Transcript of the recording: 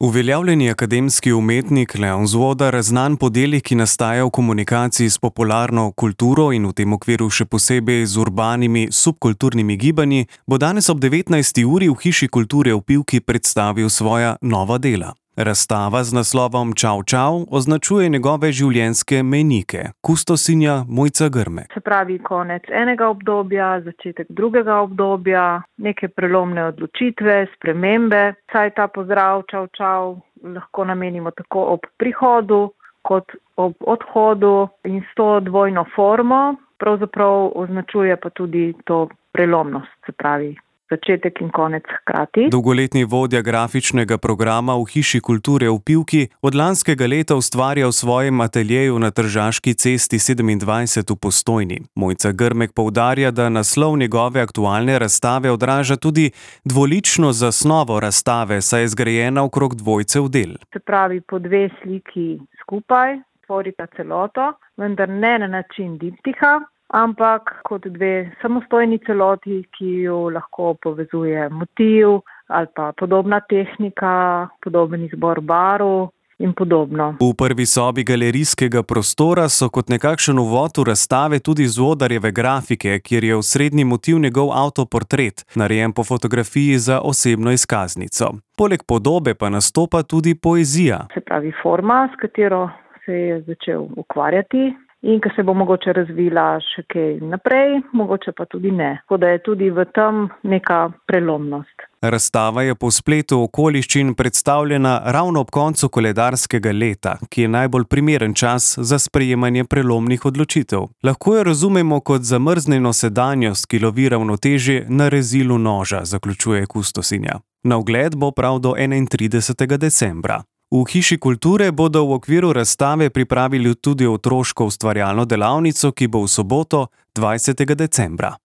Uveljavljeni akademski umetnik Leon Zvodar, znan po delih, ki nastajajo v komunikaciji s popularno kulturo in v tem okviru še posebej z urbanimi subkulturnimi gibanji, bo danes ob 19. uri v Hiši kulture v Pivki predstavil svoja nova dela. Razstava z naslovom Čau, čau označuje njegove življenjske mejnike, kustosinja Mojca Grmek. Se pravi, konec enega obdobja, začetek drugega obdobja, neke prelomne odločitve, spremembe. Saj ta pozdrav čau, čau lahko namenimo tako ob prihodu kot ob odhodu in s to dvojno formo pravzaprav označuje pa tudi to prelomnost, se pravi začetek in konec hkrati. Dolgoletni vodja grafičnega programa v Hiši kulture v Pivki od lanskega leta ustvarja v svojem ateljeju na Tržaški cesti 27 v Postojni. Mojca Grmek poudarja, da naslov njegove aktualne razstave odraža tudi dvolično zasnovo razstave, saj je zgrajena okrog dvojcev del. Se pravi, po dve sliki skupaj tvorita celoto, vendar ne na način diptiha, ampak kot dve samostojni celoti, ki jo lahko povezuje motiv ali pa podobna tehnika, podoben izbor barv in podobno. V prvi sobi galerijskega prostora so kot nekakšen uvod v razstave tudi Zvodarjeve grafike, kjer je osrednji motiv njegov avtoportret, narejen po fotografiji za osebno izkaznico. Poleg podobe pa nastopa tudi poezija. Se pravi forma, s katero se je začel ukvarjati, in ki se bo mogoče razvila še kaj naprej, mogoče pa tudi ne. Tako da je tudi v tem neka prelomnost. Razstava je po spletu okoliščin predstavljena ravno ob koncu koledarskega leta, ki je najbolj primeren čas za sprejemanje prelomnih odločitev. Lahko jo razumemo kot zamrznjeno sedanjost, ki lovi ravnotežje na rezilu noža, zaključuje kustosinja. Na ogled bo prav do 31. decembra. V Hiši kulture bodo v okviru razstave pripravili tudi otroško ustvarjalno delavnico, ki bo v soboto 20. decembra.